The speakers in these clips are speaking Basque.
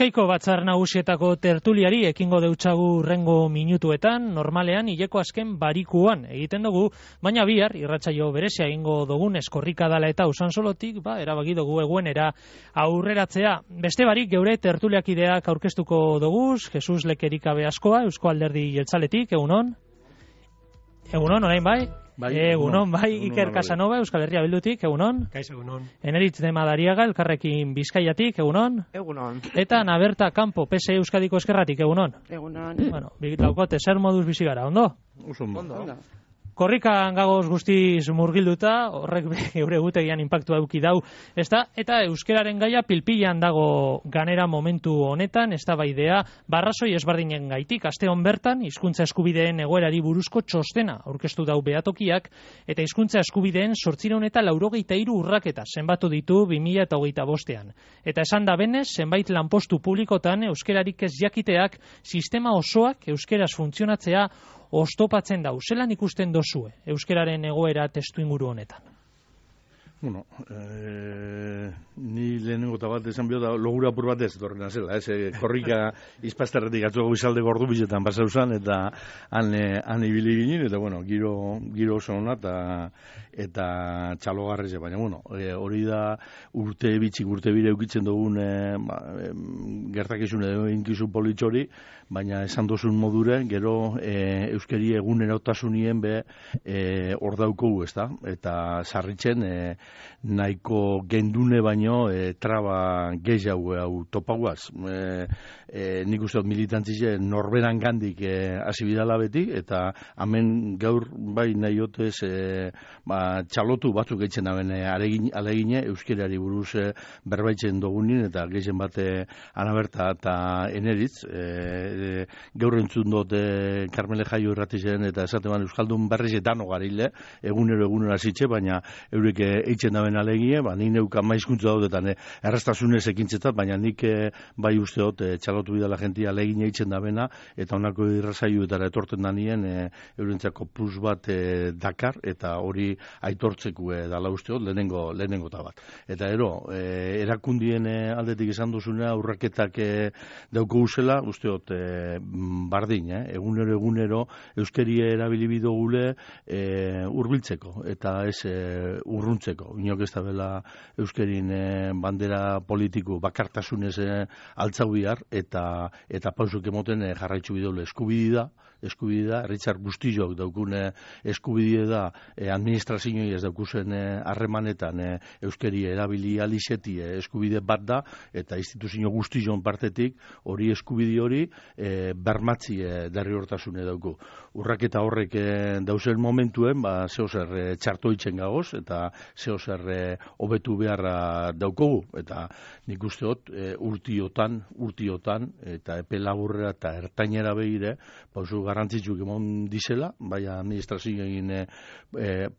Bizkaiko batzar nagusietako tertuliari ekingo deutsagu rengo minutuetan, normalean hileko azken barikuan egiten dugu, baina bihar irratsaio berezia egingo dugun eskorrika dala eta Usansolotik, erabaki dugu eguenera aurreratzea. Beste barik geure tertuliakideak aurkeztuko dugu, Jesus Lekerikabe askoa, Eusko Alderdi Jeltzaletik, egunon? Egunon, orain bai? Egunon, bai, Iker Casanova, Euskal Herria Bildutik, egunon. Kaixo, egunon. Eneritz de Madariaga, Elkarrekin Bizkaiatik, egunon. Egunon. Eta Naberta Campo, PSE Euskadiko Eskerratik, egunon. Egunon. Bueno, laukote, zer moduz bizi gara, ondo? Ondo. Korrikan gagoz guztiz murgilduta, horrek geure gutegian inpaktua eduki dau, ezta? Eta euskeraren gaia pilpilan dago ganera momentu honetan, eztabaidea barrazoi ezberdinen gaitik, aste hon bertan, hizkuntza eskubideen egoerari buruzko txostena aurkeztu dau behatokiak, eta hizkuntza eskubideen 883 urraketa zenbatu ditu 2025ean. Eta esan da benez, zenbait lanpostu publikotan euskerarik ez jakiteak sistema osoak euskeraz funtzionatzea oztopatzen dau. Zelan ikusten dozue euskeraren egoera testuinguru honetan? Bueno, ni lehenengo eta bat esan da logura apur bat ez torrena zela, korrika izpastarretik atzuago izalde gordu bizetan pasau zan, eta han ibili ginen, eta bueno, giro oso hona eta txalogarreze, baina bueno, hori da urte bire eukitzen dugun gertakizun edo inkizu politxori, baina esan dozun modure, gero euskeri egunerotasunien hor daukogu, ezta? Eta sarritzen nahiko gendune baino traba gehiago hau topaguaz. Nik uste dut militantzize norberan gandik hasi bidala beti, eta hemen gaur bai nahi hotez txalotu batzuk eitzen daben alegine euskerari buruz berbaitzen dugunin, eta gehien bate Anaberta eta Eneritz, gaur entzun dut Karmele Jaio irratizen, eta esateban Euskaldun berriz etano garile, egunero zitxe, baina eurek eitzen daben alegie, ni neuka maizkuntza daudetan errastasunez ekintzetat, baina nik bai usteot txalotu bidala jentia alegine eitzen dabena, eta honako irrazaiuetara etorten danien eurentzako plus bat dakar, eta hori aitortzeko dala usteot lehenengo eta bat. Eta erakundien aldetik esan duzunea urraketak dauko uzela, usteot bardin, egunero euskeria erabilibido gule urbiltzeko, eta ez urruntzeko. Inok ez da bela euskerin bandera politiko bakartasunez altzau bihar, eta pausuk emoten jarraitzu bidole eskubidea, Richard Bustilloak daukune eskubidea da administrazioi ez daukuzen harremanetan euskeri erabili alixeti eskubide bat da, eta instituzio guztion partetik hori eskubide hori bermatzi derrigortasune dauku. Urraketa horrek dauzen momentuen, zehozer txartoitzen gagoz, eta zehozer hobetu beharra daukogu, eta nik usteot urtiotan, eta epe laburrera eta ertainera behire, pausu garrantzitsuk emon dizela, bai administrazioen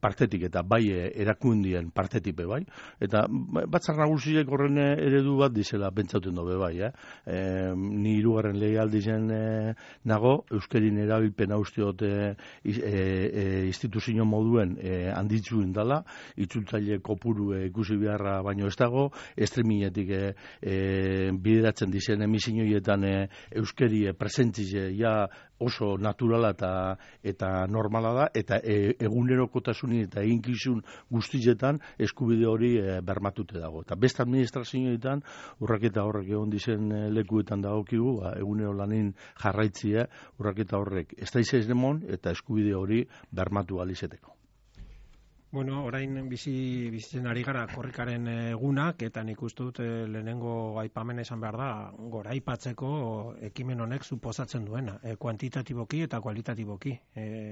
partetik eta bai erakundien partetik bai, eta batzar nagusiek horren eredu bat dizela pentsauten dobe bai, ni hirugarren legealdi zen nago, euskerin erabilpen usteot instituzio moduen handitzuen dala, itzultzaile kopuru ikusi beharra baino ez dago, estreminetik bideratzen dizen emisioietan euskeri presentzize ja oso naturala eta normala da, eta egunerokotasunin eta eginkizun guztietan eskubide hori bermatute dago. Eta beste administrazioetan urraketa horrek egon dizen lekuetan dagokigu, egunero lanin jarraitzia urraketa horrek ez da izan demon, eta eskubide hori bermatu alizeteko. Bueno, orain bizitzen ari gara korrikaren egunak, eta nik uste dut lehenengo aipamen esan behar da, goraipatzeko ekimen honek suposatzen duena, kuantitatiboki eta kualitatiboki.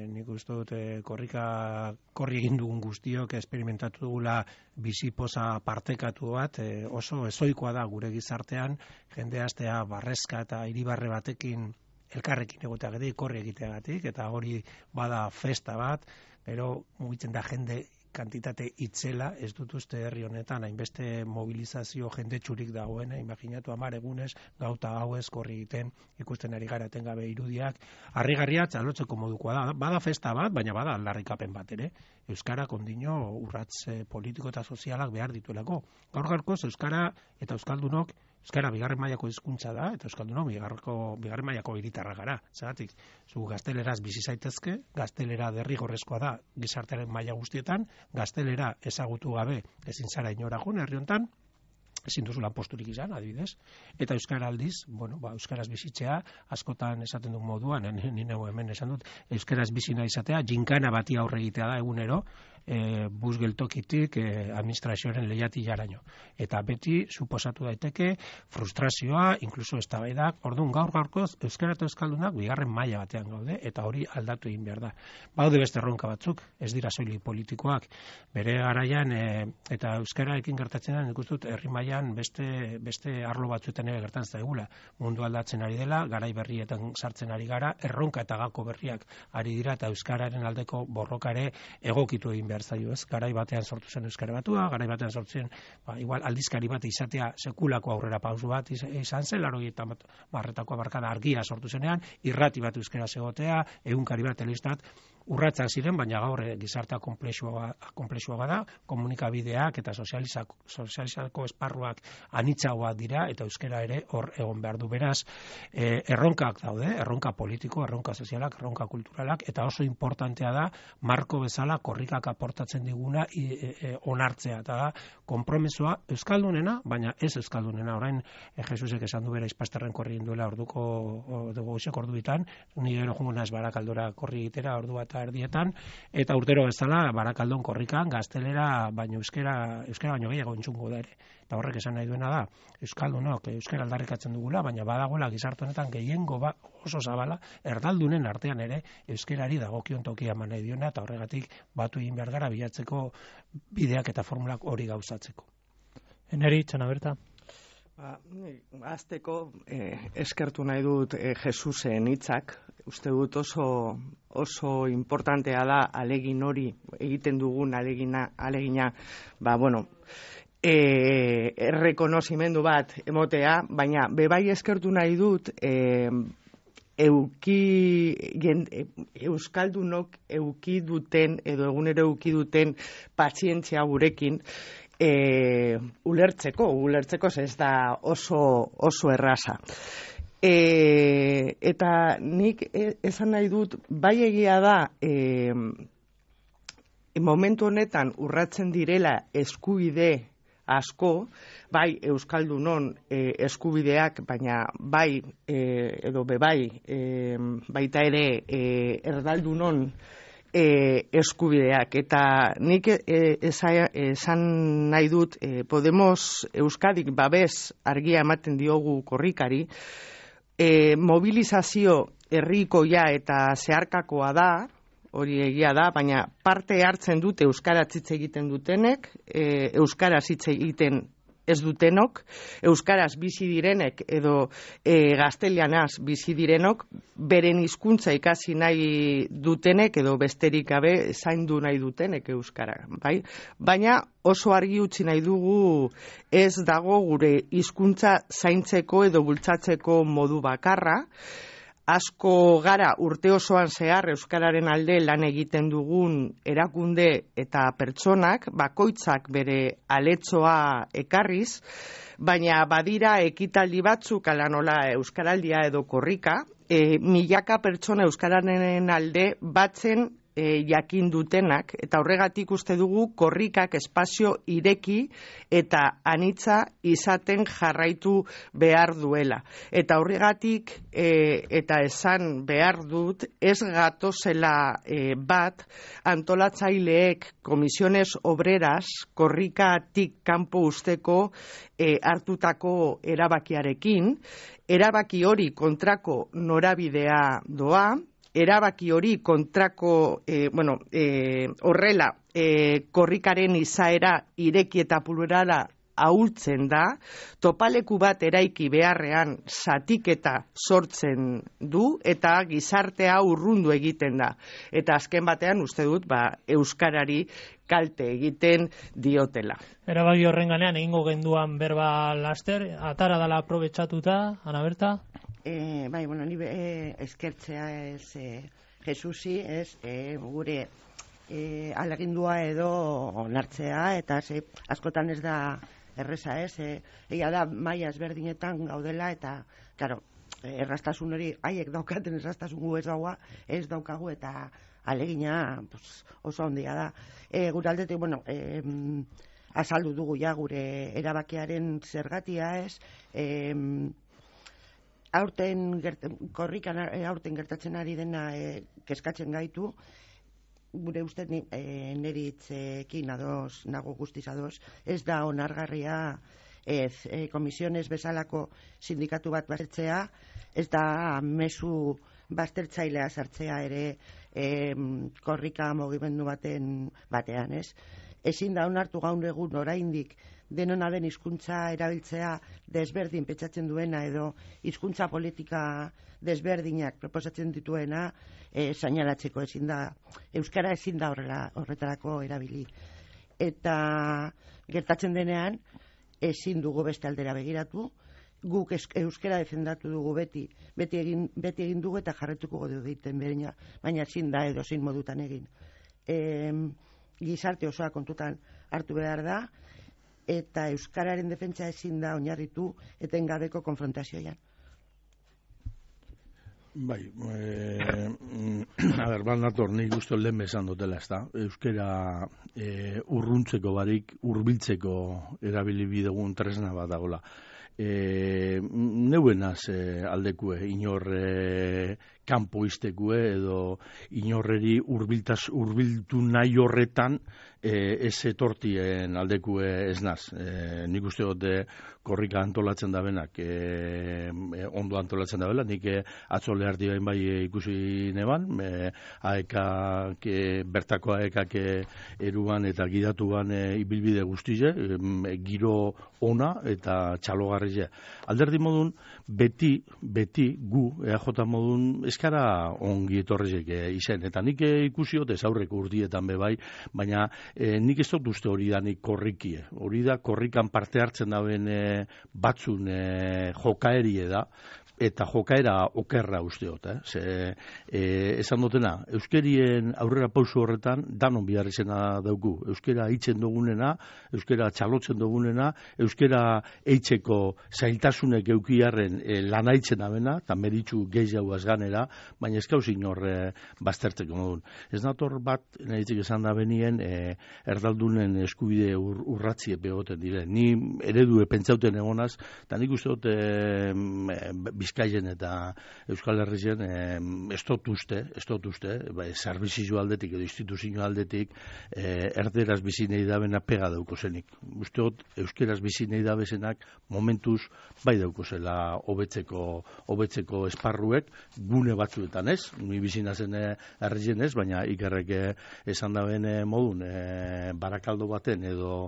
Nik uste dut korri egin dugun guztiok esperimentatu dugula bizipoza partekatu bat, oso ezoikoa da gure gizartean, jende astea barrezka eta hiribarre batekin elkarrekin egoteagatik, korri egiteagatik, eta hori bada festa bat, gero mugitzen da jende kantitate itzela, ez dut uste herri honetan, hainbeste mobilizazio jendetsurik dagoena, imaginatu 10 egunez, gauta hauez korri egiten, ikusten ari gara etengabe irudiak, harrigarria txalotzeko modukoa da, bada festa bat, baina bada aldarrikapen bat ere, euskara kondino urratz politiko eta sozialak behar dituelako. Gaur gaurkoz euskara eta euskaldunok Euskara bigarren mailako hizkuntza da, eta euskaldunok bigarren mailako hiritarra gara. Zergatik, zu gazteleraz bizi zaitezke, gaztelera derrigorrezkoa da gizartearen maila guztietan, gaztelera ezagutu gabe ezin zara inora joan herri hontan, ezin duzu lanposturik izan, adibidez, eta euskara aldiz, euskaraz bizitzea, askotan esaten dut moduan, ni neu hemen esan dut, euskaraz bizi nahi izatea, jinkana bati aurre egitea da egunero, bus geltokitik administrazioaren leihatilaraino. Eta beti suposatu daiteke frustrazioa, inkluso eztabaidak, orduan gaur-gaurkoz euskara eta euskaldunak bigarren maila batean gaude, eta hori aldatu egin behar da. Baude beste erronka batzuk, ez dira soilik politikoak, bere garaian eta euskararekin gertatzen da, nik uste dut herri mailan beste arlo batzuetan ere gertatzen zaigula. Mundu aldatzen ari dela, garai berrietan sartzen ari gara, erronka eta gako berriak ari dira, eta euskararen aldeko borrokare egokitu egin behar zaio, ez? Garai batean sortu zen euskara batua, garai batean sortu zen, igual aldizkari bat izatea sekulako aurrera pausu bat izan zen, 80 hamarkada argia sortu zenean, irrati bat euskara egotea, egunkari bat, telebistat, urratsak ziren, baina gaur gizartea konplexua bada, komunikabideak eta sozializako esparruak anitzagoak dira, eta euskara ere hor egon behar du. Beraz, erronkak daude, erronka politiko, erronka sozialak, erronka kulturalak, eta oso importantea da, marko bezala korrikak aportatzen diguna onartzea, eta da, konpromisoa euskaldunena, baina ez euskaldunena. Orain, Jesusek esan du bera izpasterren korri induela goizeko orduetan, ni gero jungo naiz Barakaldora korri egitera ordu bat erdietan, eta urtero bezala Barakaldon korrikan gaztelera baino euskara baino gehiago entzungo da ere. Eta horrek esan nahi duena da, euskaldunok euskara aldarrikatzen dugula, baina badagoela gizarte honetan gehiengo oso zabala, erdaldunen artean ere euskarari dagokion tokia eman nahi diona, eta horregatik batu egin behar gara bilatzeko bideak eta formulak hori gauzatzeko. Eneri, Txana Berta. Azteko eskertu nahi dut Jesusen hitzak. Uste dut oso importantea da alegin hori egiten dugun alegina, errekonozimendu bat emotea, baina bebai eskertu nahi dut euskaldunok euki duten edo egunero euki duten pazientzia gurekin ulertzeko ez da oso erraza. Eta nik esan nahi dut, bai egia da momentu honetan urratzen direla eskubide asko, bai euskaldunon eskubideak, baina bai edo bebai baita ere erdaldunon eskubideak, eta nik esan nahi dut Podemos Euskadik babes argia ematen diogu korrikari, mobilizazio herrikoia eta zeharkakoa da, hori egia da, baina parte hartzen dute euskaraz hitz egiten dutenek, euskaraz hitz egiten ez dutenok, euskaraz bizi direnek edo gaztelianaz bizi direnok, beren hizkuntza ikasi nahi dutenek edo besterik gabe zaindu nahi dutenek euskara, bai? Baina oso argi utzi nahi dugu ez dago gure hizkuntza zaintzeko edo bultzatzeko modu bakarra. Asko gara urte osoan zehar euskararen alde lan egiten dugun erakunde eta pertsonak, bakoitzak bere aletzoa ekarriz, baina badira ekitaldi batzuk ala nola euskaraldia edo korrika, milaka pertsona euskararen alde batzen jakin dutenak, eta horregatik uste dugu korrikak espazio ireki eta anitza izaten jarraitu behar duela. Eta horregatik eta esan behar dut, ez gatozela bat antolatzaileek komisiones obreras korrikatik kanpo usteko hartutako erabakiarekin, erabaki hori kontrako norabidea doa, erabaki hori kontrako, horrela, korrikaren izaera ireki eta plurala ahultzen da, topaleku bat eraiki beharrean zatiketa sortzen du, eta gizartea urrundu egiten da. Eta azken batean uste dut, euskarari kalte egiten diotela. Erabaki horren ganean egingo genduan berba laster, atara dala aprobetxatuta, Ana Berta? Ni eskertzea ez Jesusi, ez gure alegindua edo onartzea, eta askotan ez da erreza ez, egia da maila ezberdinetan gaudela eta, claro, erraztasun hori, haiek daukaten erraztasun gu ez daukagu eta alegina oso handia da. Gure aldetik, bueno, azaldu dugu ja gure erabakiaren zergatia ez, aurten gertatzen ari dena kezkatzen gaitu, gure ustez niri hitzekin ados, nago guztiz ados, ez da onargarria komisiones bezalako sindikatu bat baztertzea, ez da mezu baztertzailea sartzea ere korrika mugimendu batean, ez? Ezin da onartu gaur egun oraindik denona den hizkuntza erabiltzea desberdin pentsatzen duena edo hizkuntza politika desberdinak proposatzen dituena sainalatzeko ezin da, euskara ezin da horretarako erabili. Eta gertatzen denean ezin dugu beste aldera begiratu, guk euskara defendatu dugu beti egin dugu eta jarretuko dugu egiten baina ezin da edo zein modutan egin. Gizarte osoa kontutan hartu behar da, eta euskararen defentsa ezin da oinarritu etengabeko konfrontazioan. Bai, bat nator, nik uste lehen bezan dutela, ez da? Euskara urruntzeko barik, hurbiltzeko erabili bidegun tresna bat dagoela. Neuenaz aldekue, inor kanpo iztekue edo inorreri hurbiltu nahi horretan ez etortien aldekue ez naz. Nik uste dut korrika antolatzen da benak, ondo antolatzen da bela, nik atzo leharti bain bai ikusi neban, bertako aekak eruan eta gidatuan ibilbide guztize, giro ona eta txalogarri. Alderdi modun, beti gu, EAJ modun, eskara ongi etorrezek izen, eta nik ikusiot ez aurreko urtietan bebai, baina nik ez dut uste hori da nik korrikie. Hori da korrikan parte hartzen daben batzun jokaerie da, eta jokaera okerra usteot, esan dutena, euskerien aurrera pauso horretan danon bihar izena dauku. Euskera hitzen dugunena, euskera txalotzen dugunena, euskera eitzeko zailtasunek eukiarren lana hitzen abena, eta meritxu gehiago azganera, baina ez gauzin hor baztertzeko modun. Ez nator bat, nahitzik esan da benien, erdaldunen eskubide urratzie begoten dire. Ni eredu pentsauten egonaz, eta nik uste dut Bizkaien eta Euskal Herrien ez dut uste, zerbizio aldetik edo instituzio aldetik erderaz bizi nahi dabena pega dauko zenik. Uste dut euskeraz bizi nahi dabezenak momentuz bai dauko zela hobetzeko esparruek gune batzuetan ez, ni bizi nazen herrien ez, baina ikerrek esan daben modun Barakaldo baten edo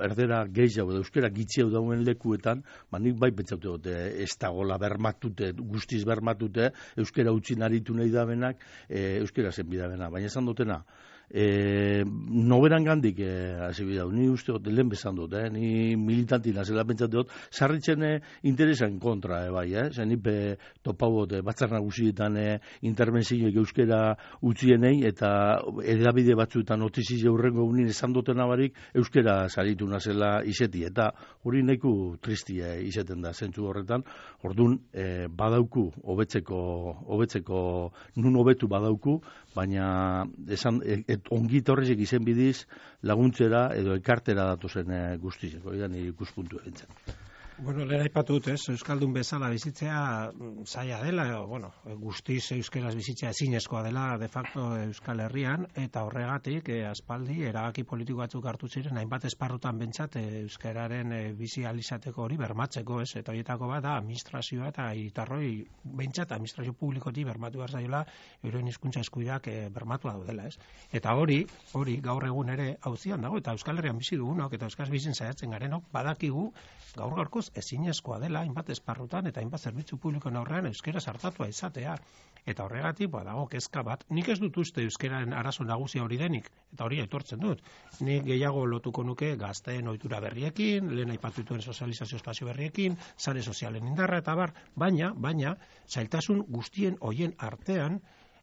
erdera gehiago edo euskera gitxiau dauen lekuetan, nik bai pentsatu dut ez dagoela guztiz bermatute, euskera utzi naritu nahi dabenak, euskera zen bidabena. Baina esan dutena, noberan gandik hasi bidau, ni uste dut, lehen bezan dut, ni militantina zela pentsatu dut, sarritzen interesan kontra, zen nipe topau dut, batzar nagusietan intervenzioek euskera utzienei, eta edabide batzuetan notizia urrengo unin esan dutena barik, euskera saritu nazela izeti, eta hori neku tristia izeten da, zentzu horretan, orduan badauku, hobetzeko nun hobetu badauku, baina esan ongi torrezek izen bidiz laguntzera edo ekartera datozen guztizeko, nire ikuspuntu egintzen. Bueno, lehen aipatu dut, euskaldun bezala bizitzea zaila dela, guztiz euskeraz bizitzea ezinezkoa dela de facto Euskal Herrian, eta horregatik aspaldi erabaki politiko batzuk hartu ziren, hainbat esparrutan bentsat euskararen bizi alizateko hori bermatzeko, eta horietako bat da administrazioa eta hiritarroi bentsat administrazio publikotik bermatu behar zaiola euren hizkuntza eskubideak bermatua daudela, Eta hori gaur egun ere auzian dago, eta Euskal Herrian bizi dugunok eta euskaz bizin saiatzen garenok badakigu gaur-gaurkoz ezinezkoa dela hainbat esparrutan eta hainbat zerbitzu publikoen aurrean euskera sartatua izatea. Eta horregatik dago kezka bat. Nik ez dut uste euskeraren arazo nagusia hori denik, eta hori aitortzen dut. Nik gehiago lotuko nuke gazteen ohitura berriekin, lehen aipatu dituen sozializazio espazio berriekin, sare sozialen indarra eta bar, baina zailtasun guztien hoien artean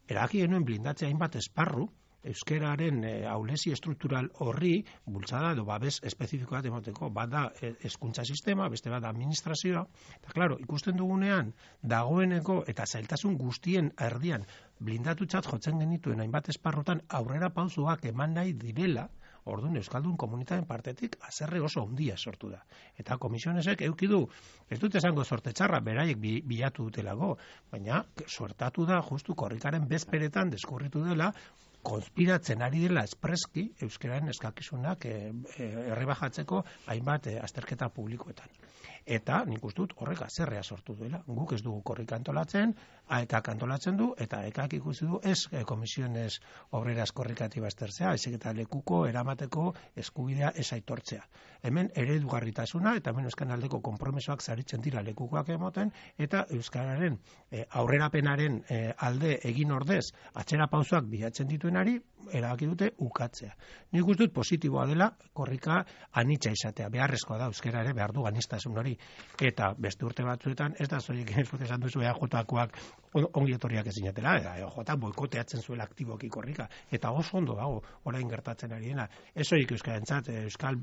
erabaki genuen blindatzea hainbat esparru, euskeraren ahulezi estruktural horri bultzada edo babes espezifiko bat emoteko, bat da hezkuntza sistema, beste bat da administrazioa, eta klaro, ikusten dugunean dagoeneko eta zailtasun guztien erdian blindatutzat jotzen genituen hainbat esparrotan aurrera pausoak eman nahi direla, orduan euskaldun komunitateen partetik haserre oso handia sortu da. Eta komisionesek eduki du, ez dut esango sorte txarra, beraiek bilatu dutelago, baina suertatu da justu korrikaren bezperetan deskurritu dela, konspiratzen ari dela espreski euskararen eskakizunak errebajatzeko hainbat azterketa publikoetan. Eta nik uste dut horrek haserrea sortu duela. Guk ez dugu korrika antolatzen, AEKak antolatzen du, eta AEKak ikusi du ez komisiones obreras korrikatiba aztertzea, ezik eta lekuko eramateko eskubidea ez aitortzea. Hemen eredugarritasuna eta hemen euskan aldeko konpromisoak saritzen dira lekukoak emoten, eta euskararen aurrerapenaren alde egin ordez atzera pausoak bilatzen dituenari erabaki dute ukatzea. Nik uste dut positiboa dela korrika anitza izatea, beharrezkoa da euskara ere behar du anistasun hori, eta beste urte batzuetan ez da zoiek esan duzu EAJkoak ongi etorriak ezinatela, EAJ boikoteatzen zuela aktiboki korrika, eta oso ondo dago orain gertatzen ari dena. Ez horiek euskarentzat, euskal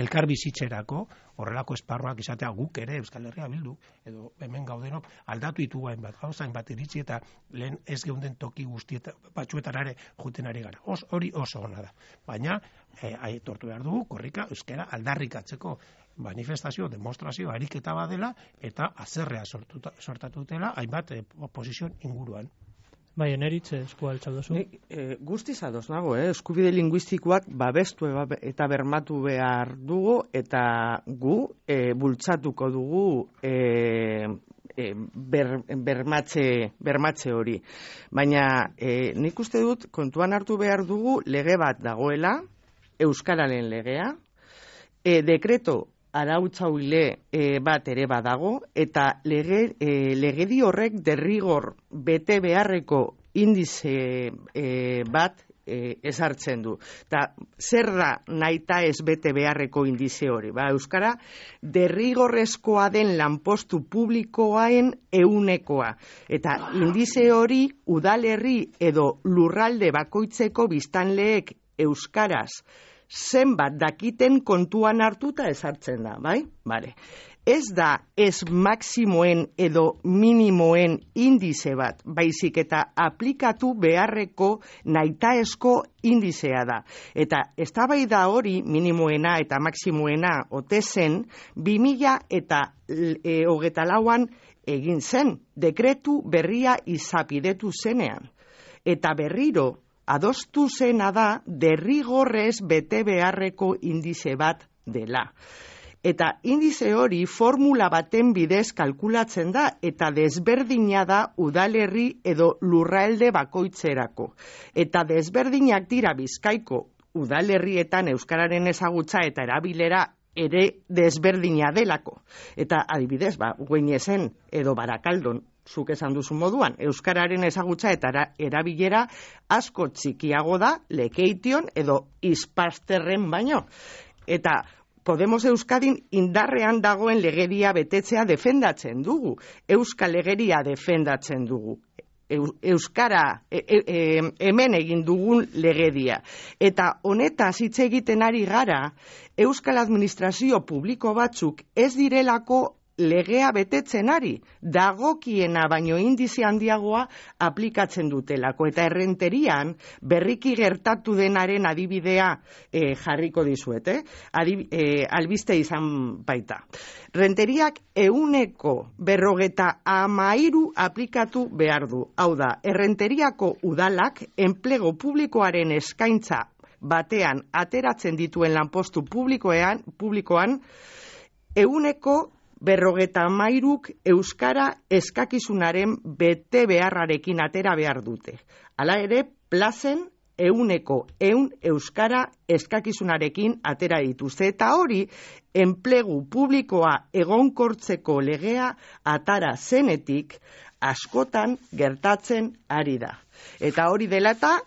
elkar bizitzerako horrelako esparruak izatea guk ere Euskal Herria Bildu, edo hemen gaudenok aldatu ditugu hainbat gauza, hainbat iritzi, eta lehen ez geunden toki batzuetara ere juten ari gara. Hori oso ona da. Baina, aitortu behar dugu, korrika euskara aldarrikatzeko manifestazio, demostrazio, ariketa badela, eta haserrea sortatu dutela, hainbat posizion inguruan. Bai, eneritz eskua altxau duzu. Guztiz ados nago, eskubide linguistikoak babestu eta bermatu behar dugu, eta gu bultzatuko dugu bermatze hori. Baina nik uste dut kontuan hartu behar dugu lege bat dagoela, euskararen legea, dekreto arautzaile bat ere badago, eta legedi horrek derrigor bete beharreko indize bat ezartzen du. Eta zer da nahita ez bete beharreko indize hori? Euskara derrigorrezkoa den lanpostu publikoaen ehunekoa. Eta indize hori udalerri edo lurralde bakoitzeko biztanleek euskaraz zenbat dakiten kontuan hartuta ezartzen da, bai? Bale. Ez da ez maksimoen edo minimoen indize bat, baizik eta aplikatu beharreko nahitaezko indizea da. Eta eztabaida hori minimoena eta maksimoena ote zen 2024an egin zen, dekretu berria izapidetu zenean. Eta berriro adostu zena da derrigorrez bete beharreko indize bat dela. Eta indize hori formula baten bidez kalkulatzen da eta desberdina da udalerri edo lurralde bakoitzerako. Eta desberdinak dira Bizkaiko udalerrietan euskararen ezagutza eta erabilera ere desberdina delako. Eta adibidez, Gueñesen edo Barakaldon, zuk esan duzu moduan, euskararen ezagutza eta erabilera asko txikiago da Lekeition edo Ispasterren baino. Eta Podemos Euskadin indarrean dagoen legedia betetzea defendatzen dugu. Euskal legeria defendatzen dugu. Euskara hemen egin dugun legedia. Eta honetaz hitz egiten ari gara, Euskal Administrazio Publiko batzuk ez direlako legea betetzen ari, dagokiena baino indize handiagoa aplikatzen dutelako. Eta errenterian berriki gertatu denaren adibidea jarriko dizuet, albiste izan baita. Renteriak 153 aplikatu behar du. Hau da, errenteriako udalak enplego publikoaren eskaintza batean ateratzen dituen lanpostu publikoan 153 euskara eskakizunaren bete beharrarekin atera behar dute. Hala ere, plazen 100 euskara eskakizunarekin atera dituzte. Eta hori, enplegu publikoa egonkortzeko legea atara zenetik askotan gertatzen ari da. Eta hori dela eta,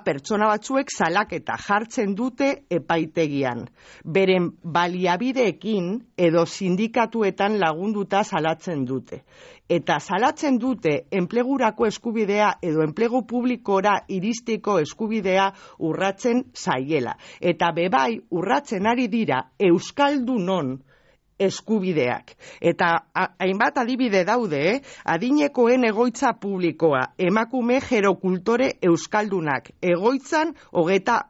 pertsona batzuek salaketa jartzen dute epaitegian. Beren baliabideekin edo sindikatuetan lagunduta salatzen dute. Eta salatzen dute enplegurako eskubidea edo enplegu publikora iristeko eskubidea urratzen zaiela. Eta bebai urratzen ari dira euskaldunon eskubideak. Eta hainbat adibide daude, adinekoen egoitza publikoa, emakume gerokultore euskaldunak, egoitzan 20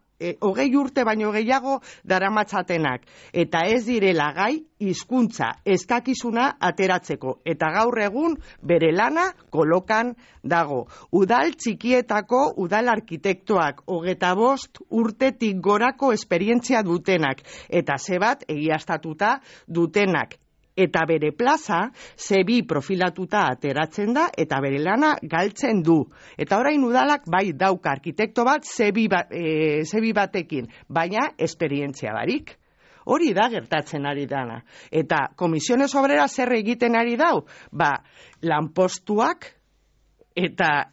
urte baino gehiago daramatzatenak, eta ez direla gai hizkuntza eskakizuna ateratzeko, eta gaur egun bere lana kolokan dago. Udal txikietako udal arkitektoak, 25 urtetik gorako esperientzia dutenak, eta zebat egiaztatuta dutenak. Eta bere plaza, zebi profilatuta ateratzen da, eta bere lana galtzen du. Eta orain udalak bai dauka arkitekto bat, zebi batekin, baina esperientzia barik. Hori da gertatzen ari dana. Eta Komisiones Obreras zer egiten ari dau? Lanpostuak eta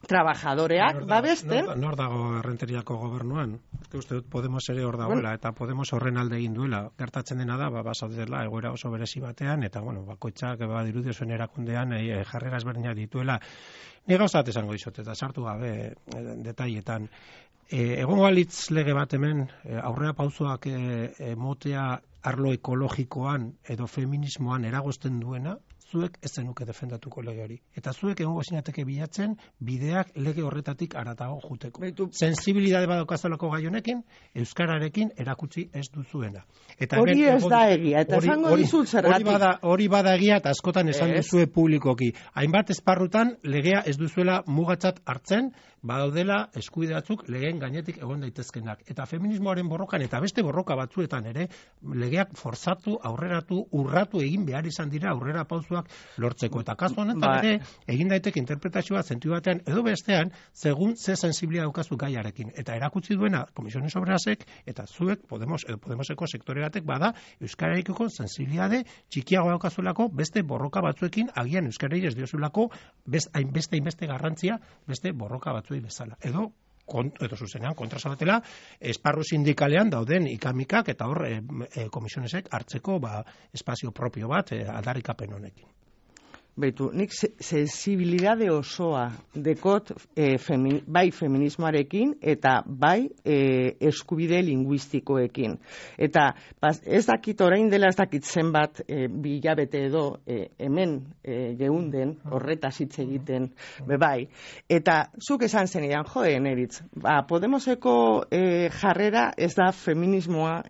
trabajadoreak babesten. Nor dago Errenteriako gobernuan? Uste dut Podemos ere hor dagoela, eta Podemos horren alde egin duela. Gertatzen dena da, basaudela egoera oso berezi batean, eta bakoitzak badirudi zuen erakundean jarrera ezberdinak dituela. Ni gauzat esango dizut, eta sartu gabe detailetan. Egongo balitz lege bat hemen, aurrera pausoak motea arlo ekologikoan edo feminismoan eragozten duena, zuek ez zenuke defendatuko lege hori. Eta zuek egongo zinateke bilatzen bideak lege horretatik haratago juteko. Sensibilidade badokazolako gai honekin, euskararekin erakutsi ez duzuena. Hori ez da egia, eta esango dizut zergatik. Hori bada egia, eta askotan esan duzue publikoki. Hainbat esparrutan legea ez duzuela mugatzat hartzen, badaudela eskubide batzuk legeen gainetik egon daitezkenak. Eta feminismoaren borrokan eta beste borroka batzuetan ere, legeak forzatu, aurreratu, urratu egin behar izan dira aurrera pauzuak lortzeko. Eta kasu honetan ere, egin daiteke interpretazioa zentu batean edo bestean, segun ze sensibilia daukazu gaiarekin. Eta erakutsi duena Komisiones Obrerasek eta zuek Podemoseko sektore batek bada euskararekiko sensibilitate txikiago daukazulako beste borroka batzuekin agian euskarari ez diozulako hainbeste garrantzia beste borroka batzuei bezala. Edo zuzenean kontrasabatela esparru sindikalean dauden ikamikak eta hor komisionesek hartzeko espazio propio bat aldarrikapen honekin. Beitu, nik sensibilidade osoa dekot bai feminismoarekin eta bai eskubide linguistikoekin. Eta ez dakit orain dela ez dakit zenbat bilabete edo hemen geunden horretaz hitz egiten bai. Eta zuk esan zenidan, Neritz, Podemoseko jarrera ez da feminismoa,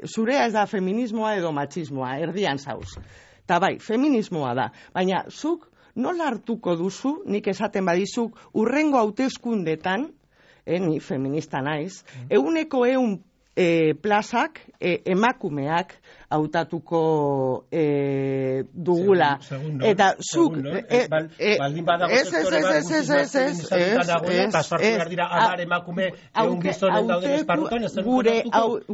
zurea ez da feminismoa edo matxismoa, erdian zauz. Eta bai, feminismoa da, baina zuk nola hartuko duzu, nik esaten badizuk, urrengo hauteskundetan, ni feminista naiz, 100 plazak emakumeak hautatuko dugula. Eta zuk... Baldin badago sektorea eta sartu behar dira 10 emakume gizonen dauden esparrutan,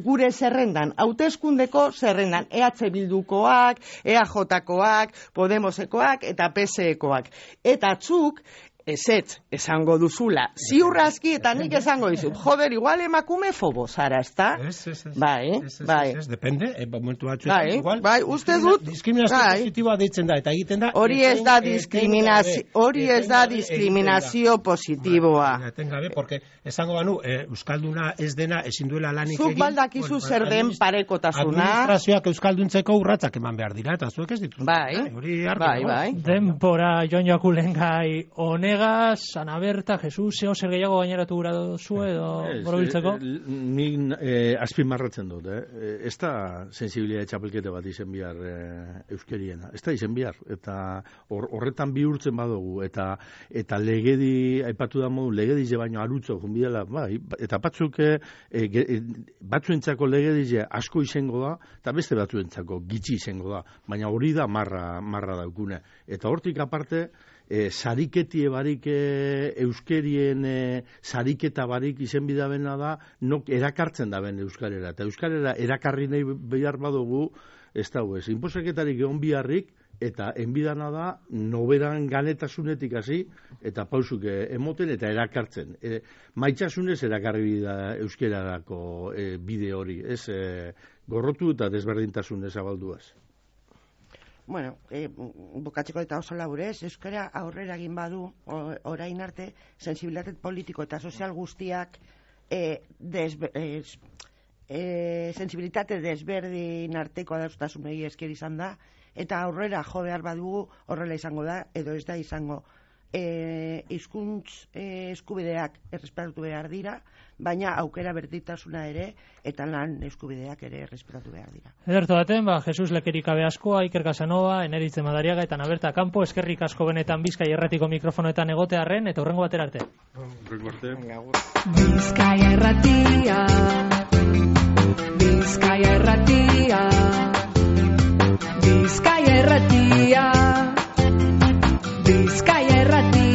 gure zerrendan, hauteskundeko zerrendan, EH Bildukoak, EAJkoak, Podemosekoak eta PSEkoak. Eta zuk ezetz esango duzula, ziurrazki eta nik esango dizut, igual emakume fobo zara, ez da? Bai. Depende, momentu batzuetan igual. Bai, uste dut. Diskriminazio positiboa deitzen da, eta egiten da. Hori ez da diskriminazio positiboa. Etengabe, porque esango banu, euskalduna ez dena ezin duela lanik egin. Zuk baldakizu zer den parekotasuna. Administrazioak euskalduntzeko urratsak eman behar dira, eta zuek ez dituz. Bai. Denbora Jon Jakulengai honek Ana Berta, Jesus, zer gehiago gaineratu gura duzu edo borobiltzeko? Nik azpimarratzen dut, ez da sensibilitate txapelkete bat izen bihar euskeriena, ez da izen bihar, eta horretan bihurtzen badugu, eta legedi, aipatu da modu, legedize baino arutzo, junbidela, bai, eta batzuentzako legedize asko izango da, eta beste batzuentzako gitxi izango da, baina hori da marra daukune. Eta hortik aparte, sariketie barik euskerien sariketa barik izen bidabena da nok erakartzen daben euskarera. Eta euskarera erakarri nahi behar badugu, ez da huez, inposaketarik egon biharrik, eta enbidana da, noberan ganetasunetik hasi, eta pausuk emoten eta erakartzen. Maitxasunez erakarri da euskerarako bide hori, ez gorrotu eta desberdintasunez abalduaz. Bueno, bukatzeko eta oso laburez, euskara aurrera egin badu, orain arte, sensibilitate politiko eta sozial guztiak sensibilitate desberdin arteko adaustasunei esker izan da, eta aurrera jo behar badugu horrela izango da, edo ez da izango. Hizkuntz eskubideak errespetatu behar dira, baina aukera berdintasuna ere eta lan eskubideak ere errespetatu behar dira. Ederto baten, Jesus Lekerikabe askoa, Iker Casanova, Eneritze Madariaga eta Naberta Campo, eskerrik asko benetan Bizkai Erratiko mikrofonoetan egotearren, eta hurrengo batera arte. Bizkaia Erratia, Bizkaia Erratia, Bizkaia Erratia, Bizkaia Erratia.